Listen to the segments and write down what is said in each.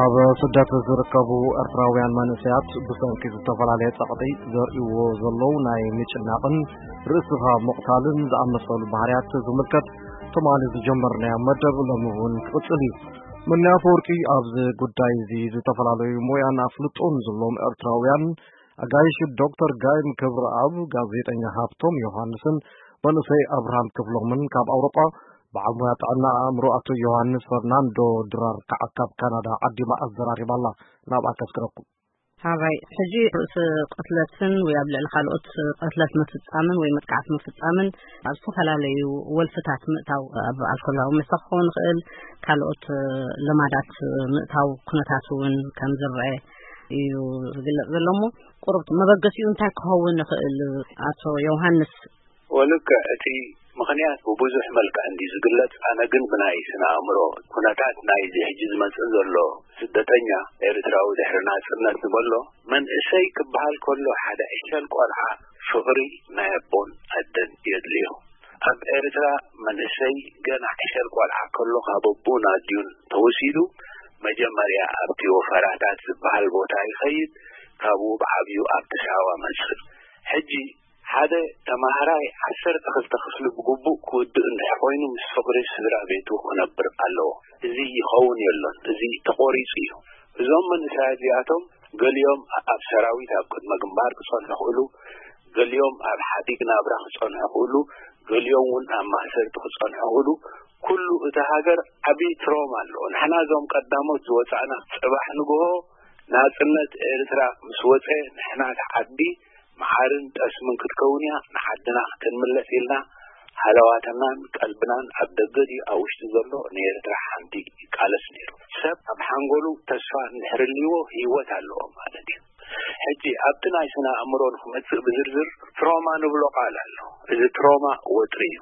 ኣብ ስደት ዝርከቡ ኤርትራውያን መንእሰያት ብሰንኪ ዝተፈላለየ ጸቕጢ ዘርእይዎ ዘለዉ ናይ ምጭናቕን ርእስኻ ምቕታልን ዝኣመሰሉ ባህርያት ዝምልከት ትማሊ ዝጀመርናዮ መደብ ሎሚ እውን ክቕጽል እዩ። መኒ ኣፈወርቂ ኣብዚ ጉዳይ እዚ ዝተፈላለዩ ሞያን ኣፍልጦን ዘለዎም ኤርትራውያን ኣጋይሽ ዶክተር ጋይም ክብረኣብ፣ ጋዜጠኛ ሃብቶም ዮሃንስን መንእሰይ ኣብርሃም ክፍሎምን ካብ ኣውሮጳ፣ በዓል ሞያ ጥዕና ኣእምሮ ኣቶ ዮሃንስ ፈርናንዶ ድራር ከዓ ካብ ካናዳ ዓዲማ ኣዘራሪባ ኣላ። ናብኣ ከስክረኩም። ሃራይ ሕጂ ርእሲ ቅትለትን ወይ ኣብ ልዕሊ ካልኦት ቅትለት ምፍጻምን ወይ መጥቃዕቲ ምፍጻምን ኣብ ዝተፈላለዩ ወልፍታት ምእታው፣ ኣብ ኣልኮላዊ መስተ ክኸውን ይኽእል፣ ካልኦት ልማዳት ምእታው ኩነታት እውን ከም ዝረአ እዩ ዝግለጽ ዘሎ። እሞ ቁሩብ መበገሲኡ እንታይ ክኸውን ይኽእል? ኣቶ ዮሃንስ። ወልከ እቲ ምኽንያት ብብዙሕ መልክዕ እንዲ ዝግለጽ፣ ኣነ ግን ብናይ ስነ ኣእምሮ ኩነታት ናይዚ ሕጂ ዝመጽእ ዘሎ ስደተኛ ኤርትራዊ ድሕሪ ናጽነት ዝበሎ መንእሰይ ክበሃል ከሎ ሓደ ዕሸል ቆልዓ ፍቕሪ ናይ ኣቦን ኣደን የድልዮ። ኣብ ኤርትራ መንእሰይ ገና ዕሸል ቆልዓ ከሎ ካብ ኣቦን ኣዲኡን ተወሲዱ መጀመርያ ኣብቲ ወፈራታት ዝበሃል ቦታ ይኸይድ፣ ካብኡ ብዓብዩ ኣብቲ ሳዋ መጽእ። ሕጂ ሓደ ተማሃራይ ዓሰርተ ክልተ ክፍሊ ብግቡእ ክውድእ እንድሕር ኮይኑ ምስ ፍቕሪ ስድራ ቤቱ ክነብር ኣለዎ። እዚ ይኸውን የሎን። እዚ ተቖሪጹ እዩ። እዞም መንእሰያት እዚኣቶም ገሊኦም ኣብ ሰራዊት ኣብ ቅድመ ግንባር ክጸንሑ ክእሉ፣ ገሊኦም ኣብ ሓዲግ ናብራ ክጸንሑ ክእሉ፣ ገሊኦም እውን ኣብ ማእሰርቲ ክጸንሑ ክእሉ። ኩሉ እቲ ሃገር ዓብዪ ትሮማ ኣለዎ። ንሕና እዞም ቀዳሞት ዝወጻእና ጽባሕ ንግሆ ናጽነት ኤርትራ ምስ ወጸ ንሕና እቲ ዓዲ መዓርን ጠስምን ክትከውን እያ፣ ንዓድና ክንምለስ ኢልና ሃለዋትናን ቀልብናን ኣብ ደገ ድዩ ኣብ ውሽጢ ዘሎ ንኤርትራ ሓንቲ ይቃለስ ነይሩ። ሰብ ኣብ ሓንጎሉ ተስፋ እንድሕር ልይዎ ህይወት ኣለዎ ማለት እዩ። ሕጂ ኣብቲ ናይ ስነ ኣእምሮ ንክመጽእ ብዝርዝር ትሮማ ንብሎ ቃል ኣሎ። እዚ ትሮማ ወጥሪ እዩ።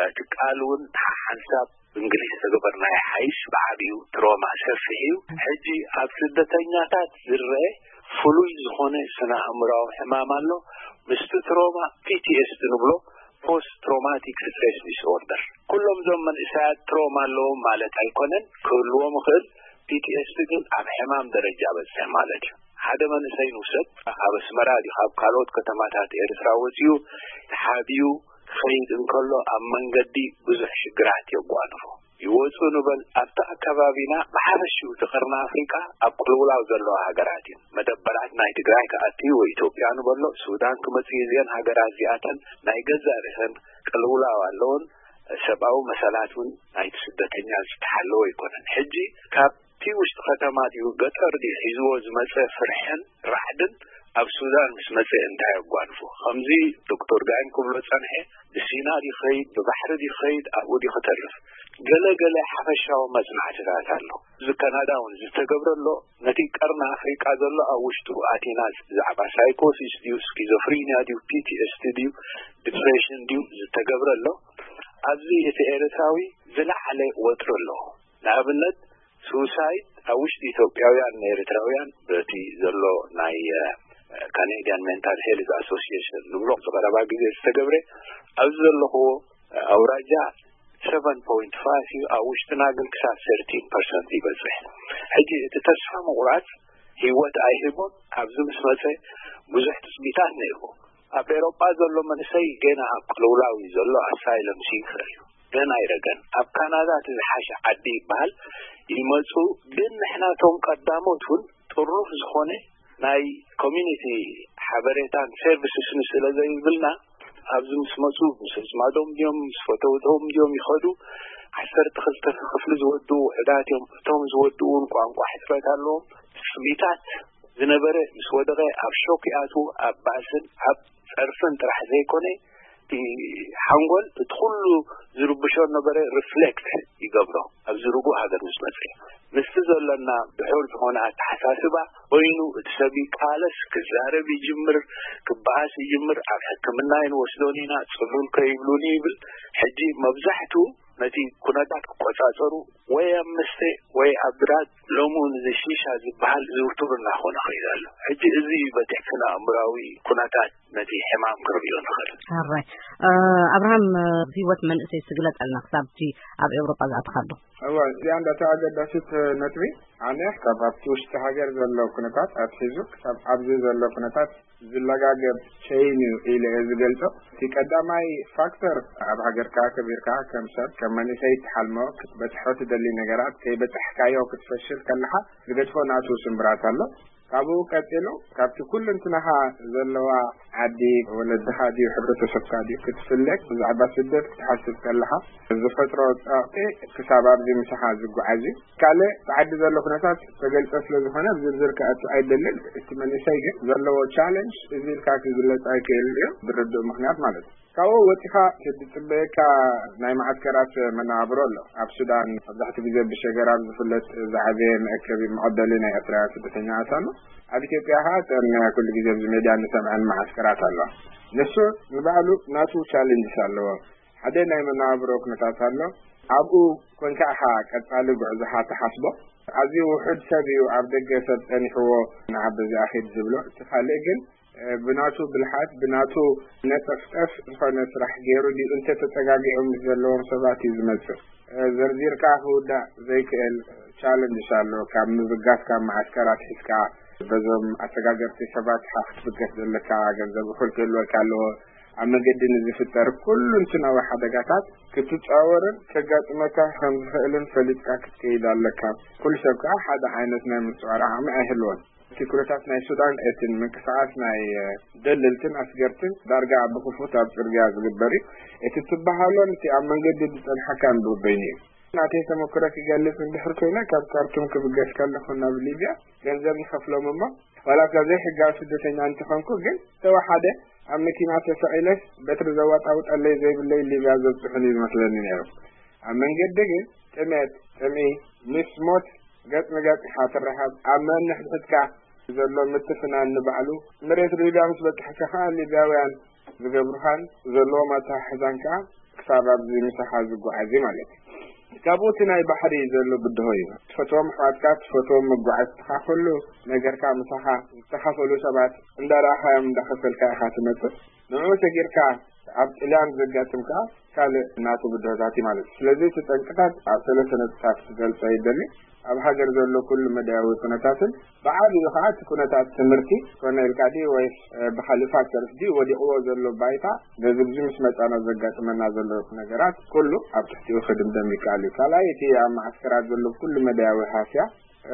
እቲ ቃል እውን ሓንሳብ ብእንግሊዝ ተገበርናዮ ሓይሽ ብዓቢኡ ትሮማ ሰፊሕ እዩ። ሕጂ ኣብ ስደተኛታት ዝረአ ፍሉይ ዝኾነ ስነ ኣእምራዊ ሕማም ኣሎ። ምስቲ ትሮማ ፒ ቲ ኤስ ዲ ንብሎ፣ ፖስት ትሮማቲክ ስትሬስ ዲስኦርደር። ኩሎም እዞም መንእሰያት ትሮማ ኣለዎም ማለት ኣይኮነን፣ ክህልዎም ይኽእል። ፒ ቲ ኤስ ዲ ግን ኣብ ሕማም ደረጃ በጽሐ ማለት እዩ። ሓደ መንእሰይ ንውሰድ፣ ኣብ ኣስመራ ድዩ ካብ ካልኦት ከተማታት ኤርትራ ወጺኡ ተሓቢኡ ክኸይድ እንከሎ ኣብ መንገዲ ብዙሕ ሽግራት የጓንፎ። ይወጹ ንበል፣ ኣብቲ ኣከባቢና ብሓፈሽኡ እቲ ቀርኒ ኣፍሪቃ ኣብ ቅልውላው ዘለዋ ሃገራት እዩ። መደበራት ናይ ትግራይ ክኣቲ ወይ ኢትዮጵያ ንበሎ፣ ሱዳን ክመጽእ እዚአን ሃገራት እዚኣተን ናይ ገዛእ ርእሰን ቅልውላው ኣለውን። ሰብኣዊ መሰላት እውን ናይቲ ስደተኛ ዝተሓለወ ኣይኮነን። ሕጂ ካብቲ ውሽጢ ከተማ ድዩ ገጠር ድዩ ሒዝዎ ዝመጸ ፍርሕን ራዕድን ኣብ ሱዳን ምስ መጸ እንታይ ኣጓንፎ? ከምዚ ዶክተር ጋይም ክብሎ ጸንሐ፣ ብሲና ድዩ ኸይድ፣ ብባሕሪ ድዩ ኸይድ፣ ኣብኡ ድዩ ክተርፍ? ገለ ገለ ሓፈሻዊ መጽናዕትታት ኣሎ። እዚ ካናዳ እውን ዝተገብረ ኣሎ። ነቲ ቀርኒ ኣፍሪቃ ዘሎ ኣብ ውሽጡ ኣቲና ብዛዕባ ሳይኮሲስ ድዩ ስኪዞፍሪኒያ ድዩ ፒ ቲ ኤስ ዲ ድዩ ዲፕሬሽን ድዩ ዝተገብረ ኣሎ። ኣብዚ እቲ ኤርትራዊ ዝለዓለ ወጥሪ ኣለዎ። ንኣብነት ሱሳይድ ኣብ ውሽጢ ኢትዮጵያውያን ንኤርትራውያን በቲ ዘሎ ናይ ካኔዲያን ሜንታል ሄልዝ ኣሶሲሽን ንብሎ ዝቐረባ ግዜ ዝተገብረ ኣብዚ ዘለኽዎ ኣውራጃ ሰቨን ፖይንት ፋይቭ እዩ። ኣብ ውሽጥና ግን ክሳብ ሰርቲን ፐርሰንት ይበፅሕ። ሕጂ እቲ ተስፋ ምቑራፅ ህይወት ኣይህቦን። ኣብዚ ምስ መፀ ብዙሕ ትፅቢታት ነይርዎ። ኣብ ኤሮጳ ዘሎ መንእሰይ ገና ኣብ ቅልውላው እዩ ዘሎ። ኣሳይለም ሲከር እዩ፣ ገና ኣይረገን። ኣብ ካናዳ እቲ ዝሓሸ ዓዲ ይበሃል። ይመፁ ግን ንሕናቶም ቀዳሞት እውን ጥሩፍ ዝኾነ ናይ ኮሚኒቲ ሓበሬታን ሰርቪስስን ስለ ዘይብልና ኣብዚ ምስ መፁ ምስ ኣዝማዶም ድዮም ምስ ፈተውቶም ድዮም ይኸዱ። ዓሰርተ ክልተ ክፍሊ ዝወድኡ ውሕዳት እዮም። እቶም ዝወድኡ እውን ቋንቋ ሕፅረት ኣለዎም። ትፅቢታት ዝነበረ ምስ ወደቐ ኣብ ሾክ ይኣትዉ። ኣብ ባእስን ኣብ ፀርፍን ጥራሕ ዘይኮነ እቲ ሓንጎል እቲ ኩሉ ዝርብሾ ነበረ ሪፍሌክት ይገብሮ ኣብዚ ርጉእ ሃገር ምስ መፀ። ምስቲ ዘለና ድሑር ዝኾነ ኣተሓሳስባ ኮይኑ እቲ ሰብ ይቃለስ፣ ክዛረብ ይጅምር፣ ክበኣስ ይጅምር። ኣብ ሕክምና ይንወስዶን ኢና፣ ጽሉል ከይብሉን ይብል። ሕጂ መብዛሕቱ ነቲ ኩነታት ክቆጻጸሩ ወይ ኣብ መስተ ወይ ኣብ ድራግ፣ ሎሚ እውን እዚ ሺሻ ዝበሃል ዝውቱር እናኾነ ኸይዱ ኣሎ። ሕጂ እዚ በቲ ስነ ኣእምራዊ ኩነታት ነቲ ሕማም ክንሪኦ ንኽእል። ኣራይ ኣብርሃም፣ ህይወት መንእሰይ ስግለጸልና ክሳብ እቲ ኣብ ኤውሮጳ ዝኣትኻሉ። እዋ እዚኣ እንዳታ ኣገዳሲት ነጥቢ። ኣነ ካብ ኣብቲ ውሽጢ ሃገር ዘሎ ኩነታት ኣትሒዙ ክሳብ ኣብዚ ዘሎ ኩነታት ዝለጋገብ ሸይን እዩ ኢለ እየ ዝገልጾ። እቲ ቀዳማይ ፋክተር ኣብ ሃገርካ ከቢርካ ከም ሰብ ከም መንእሰይ ትሓልሞ ክትበጽሖ ትደሊ ነገራት ከይበጻሕካዮ ክትፈሽል ከለኻ ዝገድፎ ናቱ ስምብራት ኣሎ። ካብኡ ቀጺሉ ካብቲ ኩሉ እንትናኻ ዘለዋ ዓዲ ወለድኻ ድዩ ሕብረተሰብካ ድዩ ክትፍለግ ብዛዕባ ስደት ክትሓስብ ከለኻ ዝፈጥሮ ጸቕጢ ክሳብ ኣብዚ ምሳኻ ዝጓዓዝ እዩ። ካልእ ብዓዲ ዘሎ ኩነታት ተገልጸ ስለ ዝኾነ ብዝርዝር ክኣቱ ኣይደልን። እቲ መንእሰይ ግን ዘለዎ ቻለንጅ እዚ ኢልካ ክግለጽ ኣይክእልን እዩ ብርድእ ምክንያት ማለት እዩ። ካብኡ ወፂኻ ዝፅበየካ ናይ መዓስከራት መነባብሮ ኣሎ። ኣብ ሱዳን መብዛሕትኡ ግዜ ብሸገራብ ዝፍለጥ ዝዓበየ መእከቢ መቐበሊ ናይ ኤርትራውያን ስደተኛታት ኣሎ። ኣብ ኢትዮጵያ ከዓ እተን ኩሉ ግዜ ኣብዚ ሜድያ እንሰምዐን መዓስከራት ኣለዋ። ንሱ ንባዕሉ ናቱ ቻሌንጅስ ኣለዎ። ሓደ ናይ መነባብሮ ኩነታት ኣሎ። ኣብኡ ኮንካ ኢኻ ቀፃሊ ጉዕዞኻ ትሓስቦ። ኣዝዩ ውሑድ ሰብ እዩ ኣብ ደገ ሰብ ፀኒሕዎ ንዓ በዚኣ ኺድ ዝብሎ። እቲ ካልእ ግን ብናቱ ብልሓት ብናቱ ነጠፍጠፍ ዝኾነ ስራሕ ገይሩ ድዩ እንተተፀጋጊዑ ምስ ዘለዎም ሰባት እዩ ዝመፅእ። ዘርዚርካ ክውዳእ ዘይክእል ቻለንጅስ ኣሎ። ካብ ምብጋስ ካብ መዓስከር ኣትሒዝካ በዞም ኣሰጋገርቲ ሰባት ክትብገስ ዘለካ ገንዘብ እኹል ክህልወካ ኣለዎ። ኣብ መንገዲ ንዝፍጠር ኩሉ እንትናዊ ሓደጋታት ክትፃወርን ከጋጥመካ ከም ዝኽእልን ፈሊጥካ ክትከይድ ኣለካ። ኩሉ ሰብ ከዓ ሓደ ዓይነት ናይ ምፅዋር ዓቕሚ ኣይህልዎን። እቲ ኩነታት ናይ ሱዳን እትን ምንቅስቃስ ናይ ደለልትን ኣስገርትን ዳርጋ ብክፉት ኣብ ፅርግያ ዝግበር እዩ። እቲ ትበሃሎን እቲ ኣብ መንገዲ ዝፀንሓካን በበይኑ እዩ። ናተይ ተመክሮ ክገልፅ እንድሕር ኮይነ ካብ ካርቱም ክብገስ ከለኹ ናብ ሊብያ ገንዘብ ንኸፍሎም እሞ ዋላ እኳ ዘይሕጋዊ ስደተኛ እንተኾንኩ ግን ዝተወሓደ ኣብ መኪና ተሰቒለስ በትሪ ዘዋጣውጠለይ ዘይብለይ ሊብያ ዘብፅሑን እዩ ዝመስለኒ ነይሩ። ኣብ መንገዲ ግን ጥሜት፣ ጥምኢ፣ ምስ ሞት ገጽ ንገጽ ኢኻ ትራኸብ። ኣብ ነንሕድሕድካ ዘሎ ምትፍናን ንባዕሉ መሬት ሊብያ ምስ በጻሕካ ከኣ ሊብያውያን ዝገብሩኻን ዘለዎም ኣተሓሕዛን ከኣ ክሳብ ኣብዚ ምሳኻ ዝጓዓዝ እዩ ማለት እዩ። ካብኡ እቲ ናይ ባሕሪ ዘሎ ብድሆ እዩ። ትፈትዎም ኣሕዋትካ፣ ትፈትዎም መጓዓዝትኻ፣ ኩሉ ነገርካ ምሳኻ ዝተኻፈሉ ሰባት እንዳረኣኻዮም እንዳኸፈልካ ኢኻ ትመጽእ። ንዕኡ ሰጊርካ ኣብ ጥልያን ዘጋጥም ከኣ ካልእ ናቱ ብድሆታት እዩ ማለት እዩ። ስለዚ እቲ ጠንቅታት ኣብ ሰለስተ ነጥብታት ክገልጾ ይደሊ። ኣብ ሃገር ዘሎ ኩሉ መዳያዊ ኩነታትን ብዓቢኡ ከኣ እቲ ኩነታት ትምህርቲ ኮነ ኢልካ ድዩ ወይስ ብካልእ ፋክተርስ ድዩ ወዲቕዎ ዘሎ ባይታ ነዚ ብዚ ምስ መጻና ዘጋጥመና ዘሎ ነገራት ኩሉ ኣብ ትሕቲኡ ክድምደም ይከኣል እዩ። ካልኣይ እቲ ኣብ መዓስከራት ዘሎ ኩሉ መዳያዊ ሃስያ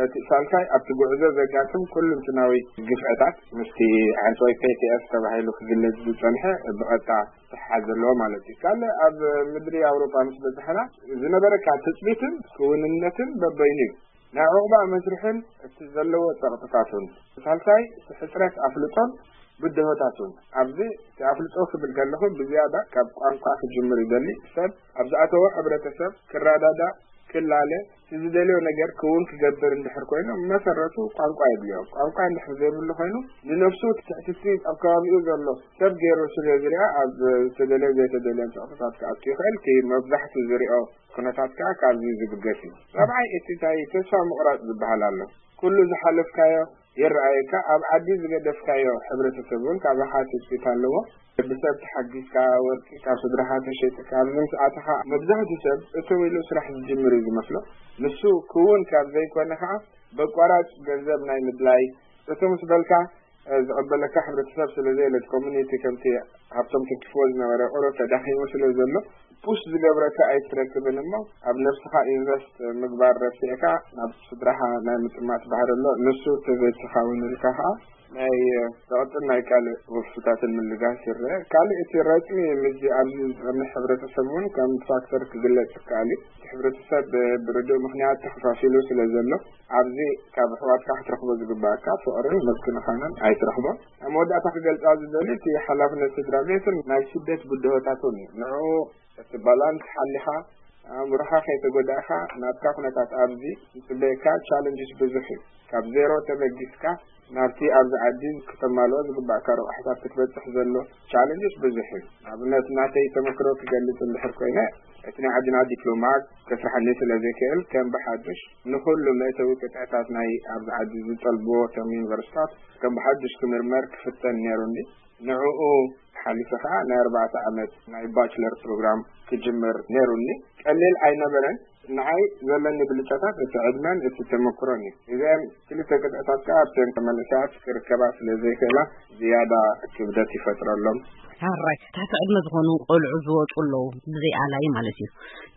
እቲ ሳልሳይ ኣብቲ ጉዕዞ ዘጋጥም ኩሉ እንትናዊ ግፍዕታት ምስቲ ዓንጾይ ፔ ቲ ኤስ ተባሂሉ ክግለጽ ዝጸንሐ ብቐጥታ ተሓዝ ዘለዎ ማለት እዩ። ካልእ ኣብ ምድሪ ኣውሮጳ ምስ በጻሕና ዝነበረካ ትጽቢትን ክውንነትን በበይኑ እዩ። ናይ ዑቕባ መስርሕን እቲ ዘለዎ ጸቕጥታቱን። ሳልሳይ እቲ ሕጽረት ኣፍልጦን ብድሆታቱን። ኣብዚ እቲ ኣፍልጦ ክብል ከለኹ ብዝያዳ ካብ ቋንቋ ክጅምር ይደሊ። ሰብ ኣብ ዝኣተዎ ሕብረተሰብ ክረዳዳእ ክላለ እቲ ዝደልዮ ነገር ክውን ክገብር እንድሕር ኮይኑ መሰረቱ ቋንቋ የድልዮ። ቋንቋ እንድሕር ዘይብሉ ኮይኑ ንነፍሱ ትሕትቲ ኣብ ከባቢኡ ዘሎ ሰብ ገይሩ ስለ ዝሪኣ ኣብ ዝተደለየ ዘይተደለየ ጸቕጥታት ክኣቱ ይኽእል። እቲ መብዛሕቱ ዝሪኦ ኩነታት ከዓ ካብዚ ዝብገስ እዩ። ራብዓይ እቲ እንታይ ተስፋ ምቑራፅ ዝበሃል ኣሎ። ኩሉ ዝሓለፍካዮ ይረኣየካ። ኣብ ዓዲ ዝገደፍካዮ ሕብረተሰብ እውን ካባኻ ትፅቢት ኣለዎ። ብሰብ ተሓጊዝካ፣ ወርቂ ካብ ስድራኻ ተሸይጥካ ኣብዚ ምስ ኣተኻ መብዛሕትኡ ሰብ እተው ኢሉ ስራሕ ዝጅምር እዩ ዝመስሎ። ንሱ ክውን ካብ ዘይኮነ ከዓ በቋራጭ ገንዘብ ናይ ምድላይ እቶ ምስ በልካ ዝቕበለካ ሕብረተሰብ ስለ ዘየለ እቲ ኮሚኒቲ ከምቲ ሃብቶም ትንክፍዎ ዝነበረ ቁሩብ ተዳኺሙ ስለ ዘሎ ፑሽ ዝገብረካ ኣይትረክብን እሞ ኣብ ነብስኻ ኢንቨስት ምግባር ረሲዕካ ናብ ስድራኻ ናይ ምጥማት ባህሪ ኣሎ። ንሱ ተዘይትኸውን ኢልካ ከዓ ናይ ጸቕጥን ናይ ካልእ ወፍስታትን ምልጋስ ይረአ። ካልእ እቲ ረጽሚ ምስዚ ኣብዚ ዝጸንሕ ሕብረተሰብ እውን ከም ፋክተር ክግለጽ ይከኣል እዩ። እቲ ሕብረተሰብ ብርዱእ ምኽንያት ተኸፋፊሉ ስለ ዘሎ ኣብዚ ካብ ኣሕዋትካ ክትረኽቦ ዝግባኣካ ፍቕርን ምክንኻንን ኣይትረኽቦን። ኣብ መወዳእታ ክገልጻ ዝደሊ እቲ ሓላፍነት ስድራ ቤትን ናይ ስደት ብድሆታትን እዩ። ንዕኡ እቲ ባላንስ ሓሊኻ ኣእምሮኻ ከይተጎዳእካ ናትካ ኩነታት ኣብዚ ዝጽበየካ ቻለንጅስ ብዙሕ እዩ። ካብ ዜሮ ተበጊስካ ናብቲ ኣብዚ ዓዲ ክተማልኦ ዝግባእካ ረቑሕታት ክትበጽሕ ዘሎ ቻለንጅስ ብዙሕ እዩ። ንኣብነት ናተይ ተመክሮ ክገልጽ እንድሕር ኮይነ እቲ ናይ ዓድና ዲፕሎማ ከስርሓኒ ስለ ዘይክእል ከም ብሓዱሽ ንኹሉ መእተዊ ቅጥዕታት ናይ ኣብዚ ዓዲ ዝጠልብዎ ከም ዩኒቨርሲታት ከም ብሓዱሽ ክምርመር ክፍተን ነይሩኒ። ንዕኡ ሓሊፈ ከዓ ናይ ኣርባዕተ ዓመት ናይ ባችለር ፕሮግራም ክጅምር ነይሩኒ። ቀሊል ኣይነበረን። ንዓይ ዘለኒ ብልጫታት እቲ ዕድመን እቲ ተመክሮን እዩ። እዘን ክልተ ቅጥዕታት ከዓ ኣብተን መንእሰያት ክርከባ ስለ ዘይክእላ ዝያዳ ክብደት ይፈጥረሎም። ሕራይ ትሕቲ ዕድመ ዝኾኑ ቆልዑ ዝወፁ ኣለዉ፣ ብዘይ ኣላይ ማለት እዩ።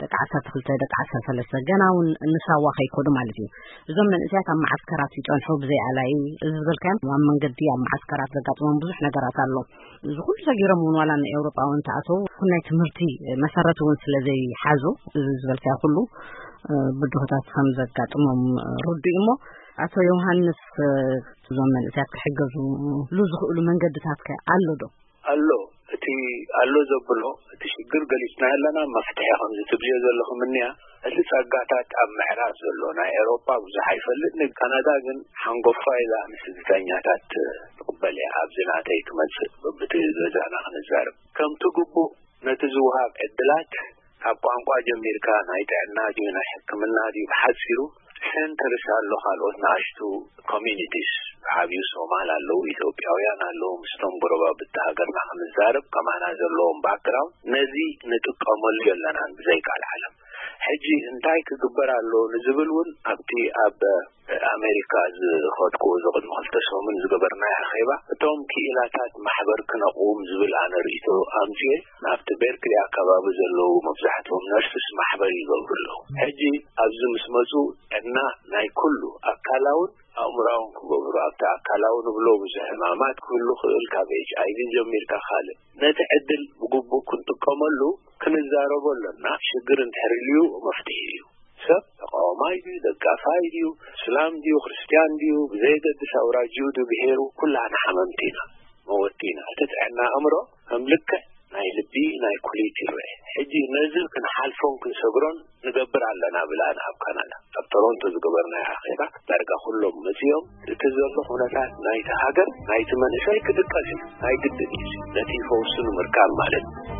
ደቂ ዓሰርተ ክልተ፣ ደቂ ዓሰርተ ሰለስተ፣ ገና እውን ንሳዋ ከይኮዱ ማለት እዩ። እዞም መንእሰያት ኣብ መዓስከራት ይፀንሑ ብዘይ ኣላይ። እዚ ዝበልካዮም ኣብ መንገዲ ኣብ መዓስከራት ዘጋጥሞም ብዙሕ ነገራት ኣሎ። እዚ ኩሉ ሰጊሮም እውን ዋላ ንኤውሮጳ እውን ተኣተው፣ ናይ ትምህርቲ መሰረት እውን ስለ ዘይሓዙ፣ እዚ ዝበልካዮ ኩሉ ብድሆታት ከም ዘጋጥሞም ርዱእ እሞ፣ ኣቶ ዮሃንስ፣ እዞም መንእሰያት ክሕገዙሉ ዝኽእሉ መንገድታት ከ ኣሎ ዶ? ኣሎ። እቲ ኣሎ ዘብሎ እቲ ሽግር ገሊጽና ኣለና፣ መፍትሒ ከምዚ ትብልዮ ዘለኹም እኒያ። እቲ ጸጋታት ኣብ ምዕራብ ዘሎ ናይ ኤውሮጳ ብዙሕ ኣይፈልጥን። ካናዳ ግን ሓንጎፋ ኢላ ንስደተኛታት ትቕበል እያ። ኣብዚ ናተይ ክመጽእ፣ በብቲ ገዛና ክንዛረብ ከምቲ ግቡእ ነቲ ዝወሃብ ዕድላት ካብ ቋንቋ ጀሚርካ ናይ ጥዕና ድዩ ናይ ሕክምና ድዩ ብሓጺሩ ሴንተርስ ኣሎ፣ ካልኦት ንኣሽቱ ኮሚኒቲስ፣ ዓብዩ ሶማል ኣለዉ፣ ኢትዮጵያውያን ኣለዉ። ምስቶም ጎረባብቲ ሃገርና ክንዛረብ ከማና ዘለዎም ባክግራውንድ ነዚ ንጥቀመሉ የለናን ብዘይ ቃል ዓለም። ሕጂ እንታይ ክግበር ኣሎ ንዝብል እውን ኣብቲ ኣብ ኣሜሪካ ዝኸድኩ እዚ ቅድሚ ክልተ ሰሙን ዝገበርናዮ ኣኼባ እቶም ክኢላታት ማሕበር ክነቕውም ዝብል ኣነ ርእይቶ ኣምፅኤ ናብቲ ቤርክሊ ኣካባቢ ዘለዉ መብዛሕትኦም ነርስስ ማሕበር ይገብሩ ኣለዉ። ሕጂ ኣብዚ ምስ መፁ ጥዕና ናይ ኩሉ ኣካላውን ኣእምራውን ክገብሩ ኣብቲ ኣካላዊ ንብሎ ብዙሕ ሕማማት ክህሉ ክእል ካብ ኤች ኣይቪ ጀሚርካ ካልእ ነቲ ዕድል ብግቡእ ክንጥቀመሉ ክንዛረቦ ኣለና። ሽግር እንድሕር ልዩ መፍትሒ እዩ። ሰብ ተቃዋማይ ድዩ ደጋፋይ ድዩ እስላም ድዩ ክርስትያን ድዩ ብዘየገድስ ኣውራጅኡ ድዩ ብሄሩ ኩላህና ሓመምቲ ኢና መወቲ ኢና። እቲ ጥዕና ኣእምሮ ከም ልክዕ ናይ ልቢ ናይ ኩሊት ይረአ። ሕጂ ነዚ ክንሓልፎን ክንሰግሮን ንገብር ኣለና ብላን ኣብ ካናዳ ኣብ ቶሮንቶ ዝገበርናዮ ኣኼባ ዳርጋ ኩሎም መፅኦም። እቲ ዘሎ ኩነታት ናይቲ ሃገር ናይቲ መንእሰይ ክድቀስ እዩ። ናይ ግድን እዩ ነቲ ፈውሱ ንምርካብ ማለት እዩ።